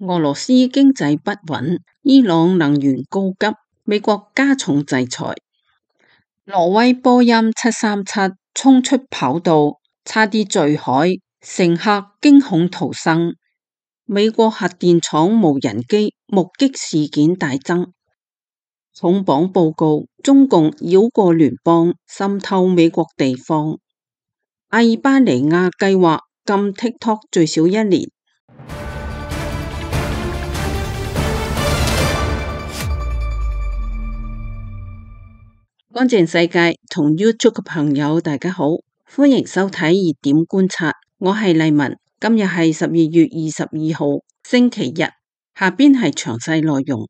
俄羅斯經濟不穩，伊朗能源告急，美國加重制裁。挪威波音737衝出跑道，差啲墜海，乘客驚恐逃生。美國核電廠無人機目擊事件大增。重磅報告：中共繞過聯邦，滲透美國地方。阿爾巴尼亞計劃禁 TikTok 最少1年。乾淨世界同 YouTube 嘅朋友大家好，歡迎收睇熱點觀察，我係麗文。今日係12月22號星期日，下邊係詳細內容。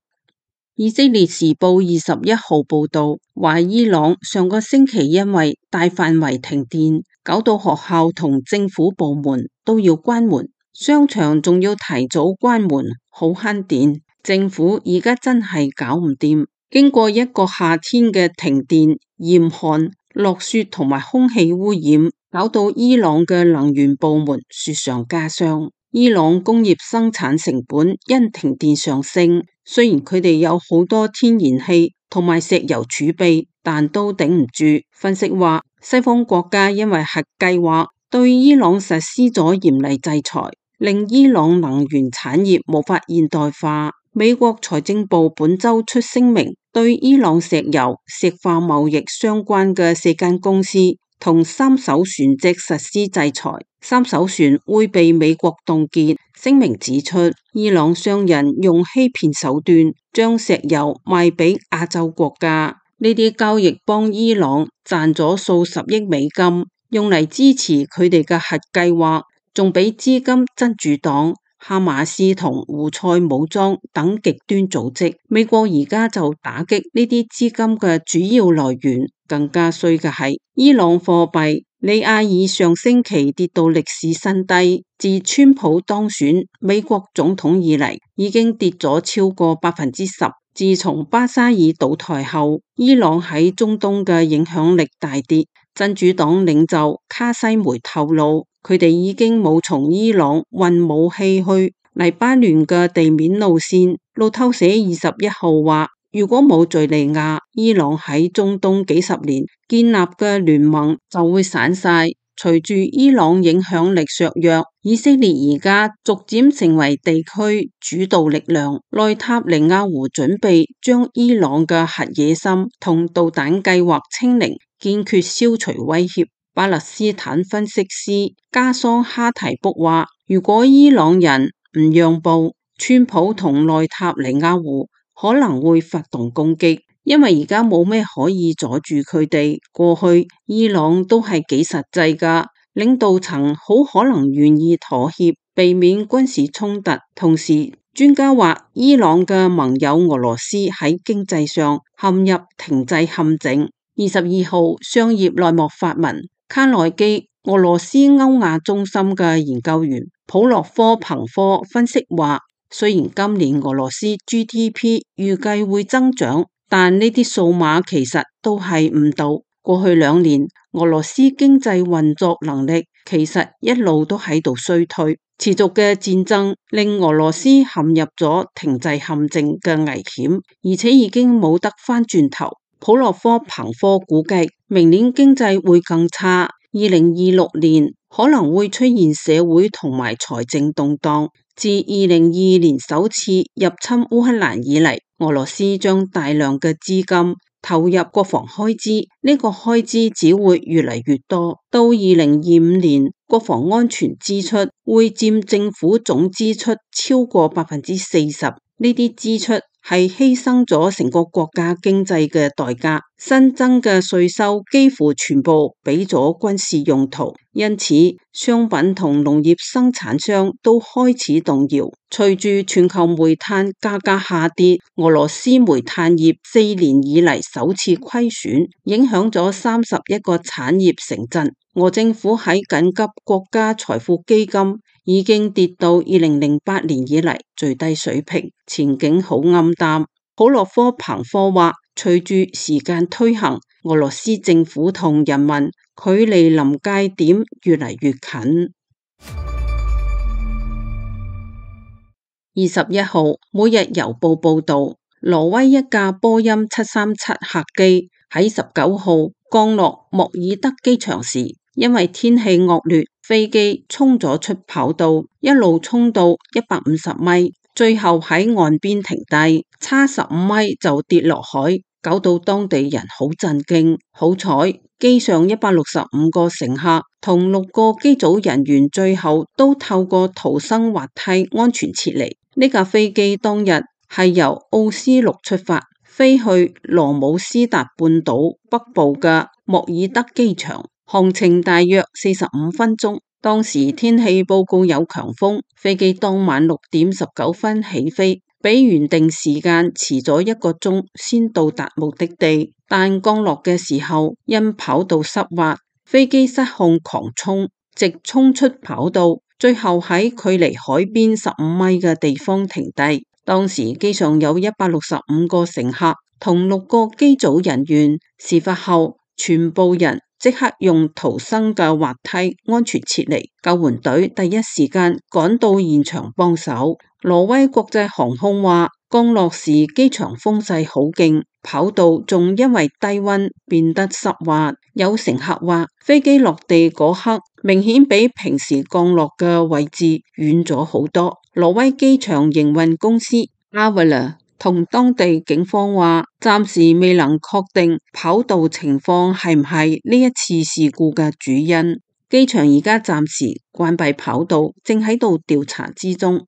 以色列時報21號報道，話伊朗上個星期因為大範圍停電，搞到學校同政府部門都要關門，商場仲要提早關門，好慳電。政府而家真係搞唔掂。經過一個夏天嘅停電、嚴寒、落雪同埋空氣污染，搞到伊朗嘅能源部門雪上加霜。伊朗工業生產成本因停電上升，雖然佢哋有好多天然氣同埋石油儲備，但都頂唔住。分析話，西方國家因為核計劃對伊朗實施咗嚴厲制裁，令伊朗能源產業無法現代化。美國財政部本周出聲明，對伊朗石油、石化貿易相關嘅4間公司同3艘船隻實施制裁，3艘船會被美國凍結。聲明指出，伊朗商人用欺騙手段將石油賣俾亞洲國家，呢啲交易幫伊朗賺咗數十億美金，用嚟支持佢哋嘅核計劃，仲俾資金真主黨、哈馬斯同胡塞武裝等極端組織。美國而家就打擊呢啲資金嘅主要來源。更加衰嘅係，伊朗貨幣里亞爾上星期跌到歷史新低，自川普當選美國總統以嚟，已經跌咗超過10%。自從巴沙爾倒台後，伊朗喺中東嘅影響力大跌。真主黨領袖卡西梅透露，佢哋已經冇從伊朗運武器去黎巴嫩嘅地面路線。路透社21號話，如果冇敘利亞，伊朗喺中東幾十年建立嘅聯盟就會散晒。隨住伊朗影響力削弱，以色列而家逐漸成為地區主導力量。內塔尼亞胡準備將伊朗嘅核野心同導彈計劃清零，堅決消除威脅。巴勒斯坦分析師加桑哈提卜話，如果伊朗人唔讓步，川普同內塔尼亞胡可能會發動攻擊，因為而家冇咩可以阻住佢哋。過去伊朗都係幾實際㗎，領導層好可能願意妥協，避免軍事衝突。同時，專家話伊朗嘅盟友俄羅斯喺經濟上陷入停滯陷阱。22號商業內幕發文，卡內基俄羅斯歐亞中心嘅研究員普洛科彭科分析話，雖然今年俄羅斯 GDP 預計會增長，但呢啲數碼其實都係誤導。過去2年，俄羅斯經濟運作能力其實一路都喺度衰退，持續嘅戰爭令俄羅斯陷入咗停滯陷阱嘅危險，而且已經冇得返轉頭。普洛科彭科估計，明年經濟會更差，2026年可能會出現社會同埋財政動盪。自2022年首次入侵烏克蘭以嚟，俄羅斯將大量嘅資金投入國防開支，呢個開支只會越嚟越多。到2025年，國防安全支出會佔政府總支出超過40%，呢啲支出係犧牲咗成個國家經濟嘅代價，新增嘅稅收幾乎全部俾咗軍事用途，因此商品同農業生產商都開始動搖。隨住全球煤炭價格下跌，俄羅斯煤炭業4年以嚟首次虧損，影響咗31個產業城鎮。俄政府喺緊急國家財富基金已經跌到2008年以嚟最低水平，前景好暗淡。普洛科彭科話，隨住時間推行，俄羅斯政府同人民距離臨界點越嚟越近。21號，每日郵報報道，挪威一架波音737客機喺19號降落莫爾德機場時，因為天氣惡劣，飛機衝咗出跑道，一路衝到150米，最後喺岸邊停低，差15米就跌落海，搞到當地人好震驚。好彩，機上165個乘客同6個機組人員最後都透過逃生滑梯安全撤離。呢架飛機當日係由奧斯陸出發，飛去羅姆斯達半島北部嘅莫爾德機場，航程大約45分鐘。當時天氣報告有強風，飛機當晚6點19分起飛，比原定時間遲咗1個鐘先到達目的地，但降落嘅時候因跑道濕滑，飛機失控狂衝，直衝出跑道，最後喺距離海邊15米嘅地方停低。當時機上有165個乘客同6個機組人員，事發後全部人即刻用逃生嘅滑梯安全撤離，救援隊第一時間趕到現場幫手。挪威國際航空話，降落時機場風勢好勁，跑道仲因為低溫變得濕滑。有乘客話，飛機落地嗰刻明顯比平時降落嘅位置遠咗好多。挪威機場營運公司 Arla 同當地警方話，暫時未能確定跑道情況係唔係呢一次事故嘅主因。機場而家暫時關閉跑道，正喺度調查之中。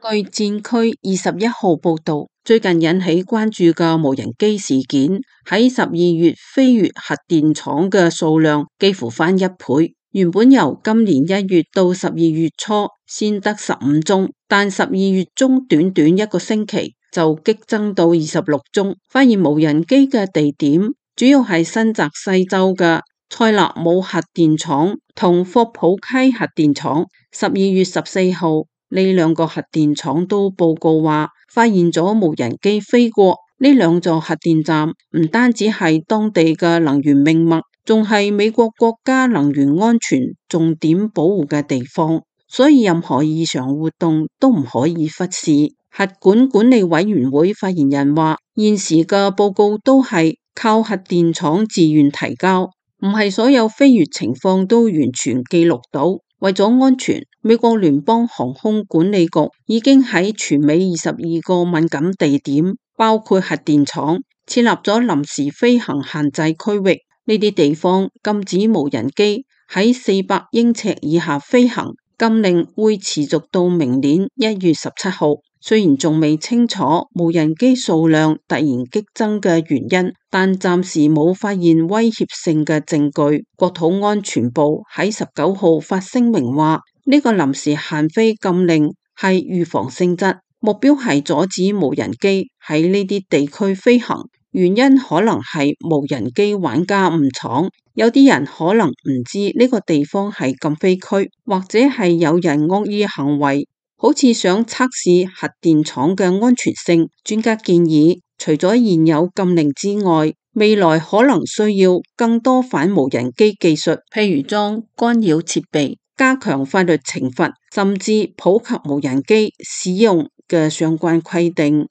據戰區21號報道，最近引起關注嘅無人機事件，喺12月飛越核電廠嘅數量幾乎翻1倍。原本由今年1月到12月初先得15宗，但12月中短短1個星期就激增到26宗。發現無人機嘅地點主要係新澤西州嘅塞勒姆核電廠同霍普溪核電廠。12月14號，呢2個核電廠都報告話發現咗無人機飛過呢2座核電站，唔單止係當地嘅能源命脈，仲係美國國家能源安全重點保護嘅地方，所以任何異常活動都唔可以忽視。核管管理委員會發言人話，現時嘅報告都係靠核電廠自願提交，唔係所有飛越情況都完全記錄到。為咗安全，美國聯邦航空管理局已經喺全美22個敏感地點，包括核電廠，設立咗臨時飛行限制區域。呢啲地方禁止無人機喺400英尺以下飛行，禁令會持續到明年1月17號。雖然仲未清楚無人機數量突然激增嘅原因，但暫時冇發現威脅性嘅證據。國土安全部喺19號發聲明話，呢個臨時限飛禁令係預防性質，目標係阻止無人機喺呢啲地區飛行。原因可能係無人機玩家誤闖，有啲人可能唔知呢個地方係禁飛區，或者係有人惡意行為，好似想測試核電廠嘅安全性。專家建議，除咗現有禁令之外，未來可能需要更多反無人機技術，譬如裝干擾設備、加強法律懲罰，甚至普及無人機使用嘅相關規定。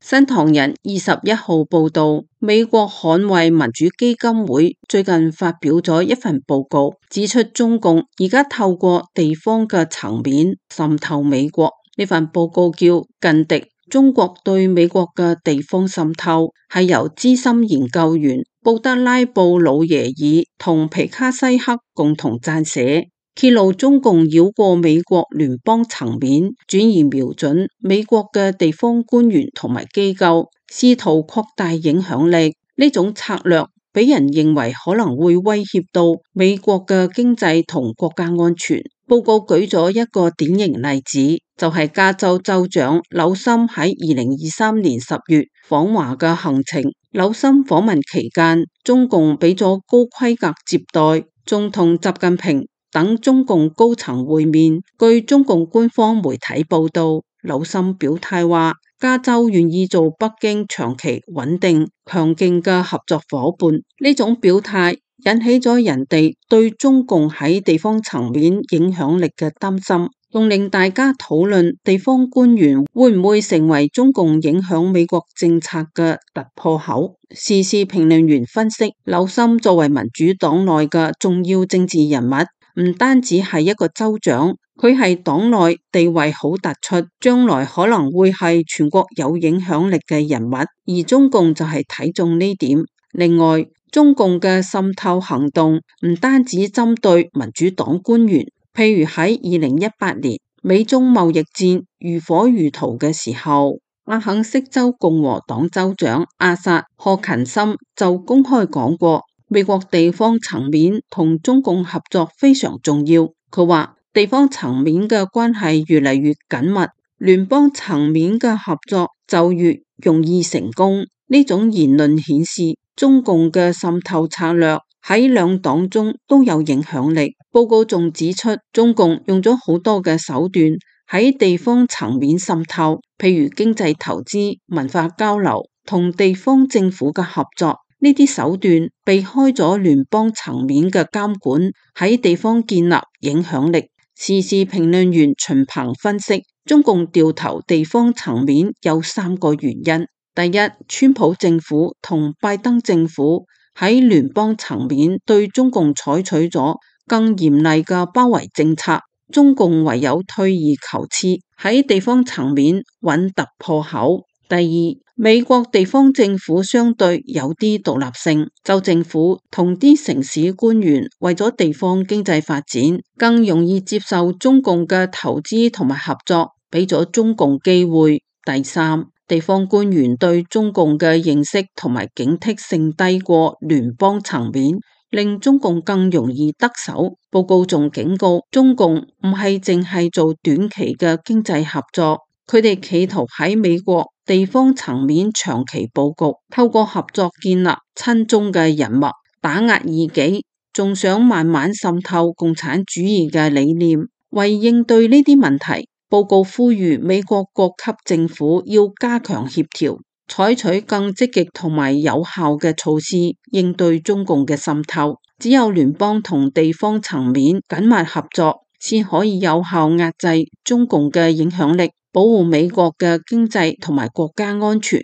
新唐人21號報道，美國捍衛民主基金會最近發表咗一份報告，指出中共而家透過地方嘅層面滲透美國。呢份報告叫《近敵：中國對美國嘅地方滲透》，係由資深研究員布德拉布魯耶爾同皮卡西克共同撰寫，揭露中共繞過美國聯邦層面，轉移瞄準美國嘅地方官員同埋機構，試圖擴大影響力。呢種策略俾人認為可能會威脅到美國嘅經濟同國家安全。報告舉咗一個典型例子，就係加州州長紐森喺2023年10月訪華嘅行程。紐森訪問期間，中共俾咗高規格接待，仲同習近平等中共高層會面。據中共官方媒體報道，紐森表態話，加州願意做北京長期穩定強勁嘅合作夥伴。呢種表態引起咗人哋對中共喺地方層面影響力嘅擔心，仲令大家討論地方官員會唔會成為中共影響美國政策嘅突破口。時事評論員分析，劉森作為民主黨內嘅重要政治人物，唔單止係一個州長，佢係黨內地位好突出，將來可能會係全國有影響力嘅人物，而中共就係睇中呢點。另外，中共嘅滲透行動唔單止針對民主黨官員，譬如喺2018年美中貿易戰如火如荼嘅時候，阿肯色州共和黨州長阿薩賀勤森就公開講過，美國地方層面同中共合作非常重要。佢話地方層面嘅關係越嚟越緊密，聯邦層面嘅合作就越容易成功。呢種言論顯示中共嘅滲透策略喺兩黨中都有影響力。報告仲指出，中共用咗好多嘅手段喺地方層面滲透，譬如經濟投資、文化交流同地方政府嘅合作。呢啲手段避開咗聯邦層面嘅監管，喺地方建立影響力。時事評論員秦鵬分析，中共掉頭地方層面有3個原因。第一，川普政府同拜登政府喺聯邦層面對中共採取咗更嚴厲嘅包圍政策，中共唯有退而求次，喺地方層面揾突破口。第二，美國地方政府相對有啲獨立性，州政府同啲城市官員為咗地方經濟發展，更容易接受中共嘅投資同埋合作，俾咗中共機會。第三，地方官員對中共嘅認識同埋警惕性低過聯邦層面，令中共更容易得手。報告仲警告，中共唔係淨係做短期嘅經濟合作，佢哋企圖喺美國地方層面長期佈局，透過合作建立親中嘅人脈，打壓異己，仲想慢慢滲透共產主義嘅理念。為應對呢啲問題，報告呼籲美國各級政府要加強協調，採取更積極同埋有效嘅措施應對中共嘅滲透。只有聯邦同地方層面緊密合作，先可以有效壓制中共嘅影響力，保護美國嘅經濟同埋國家安全。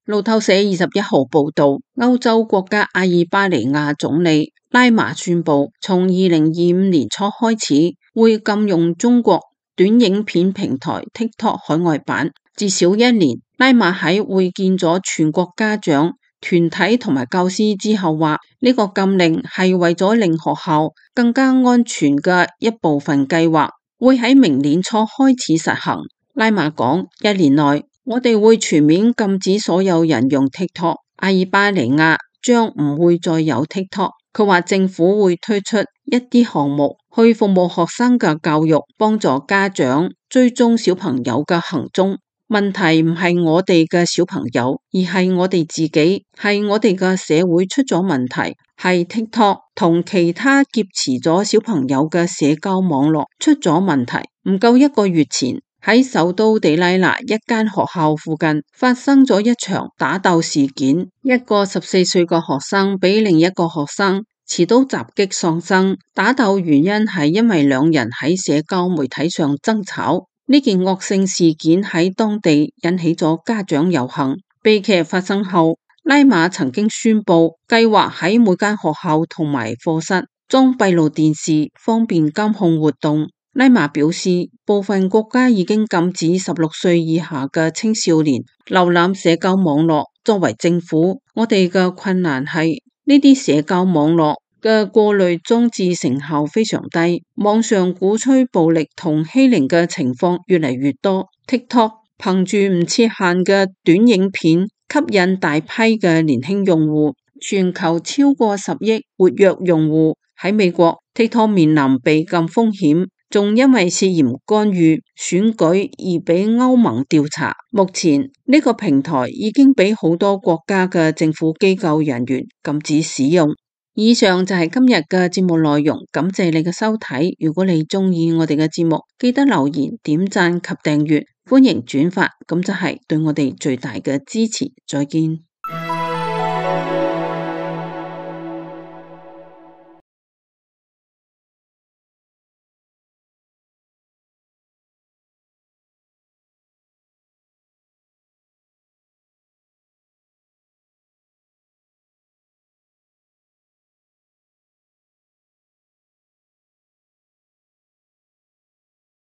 路透社21號報道，歐洲國家阿爾巴尼亞總理拉馬宣布，從2025年初開始，會禁用中國短影片平台 TikTok 海外版至少1年。拉馬喺會見咗全國家長、團體同埋教師之後話，呢個禁令係為咗令學校更加安全嘅一部分計劃，會喺明年初開始實行。拉馬講，1年內我哋會全面禁止所有人用 TikTok， 阿爾巴尼亞將唔會再有 TikTok。佢話政府會推出一啲項目去服務學生嘅教育，幫助家長追蹤小朋友嘅行蹤。問題唔係我哋嘅小朋友，而係我哋自己，係我哋嘅社會出咗問題，係 TikTok 同其他劫持咗小朋友嘅社交網絡出咗問題。唔夠1個月前，喺首都地拉那一間學校附近發生咗一場打鬥事件，一個14歲嘅學生俾另一個學生持刀襲擊喪生。打鬥原因係因為兩人喺社交媒體上爭吵。呢件惡性事件喺當地引起咗家長遊行。悲劇發生後，拉馬曾經宣布計劃喺每間學校同埋課室裝閉路電視，方便監控活動。拉馬表示，部分國家已經禁止16歲以下嘅青少年瀏覽社交網絡。作為政府，我哋嘅困難係呢啲社交網絡嘅過濾裝置成效非常低，網上鼓吹暴力同欺凌嘅情況越嚟越多。TikTok 憑住唔設限嘅短影片吸引大批嘅年輕用戶，全球超過10億活躍用戶。喺美國 TikTok 面臨被禁風險，仲因為涉嫌干預選舉而被歐盟調查。目前呢個平台已經俾好多國家嘅政府機構人員禁止使用。以上就係今日嘅節目內容，感謝你嘅收睇。如果你鍾意我哋嘅節目，記得留言、點讚及訂閱，歡迎轉發，咁就係對我哋最大嘅支持。再見。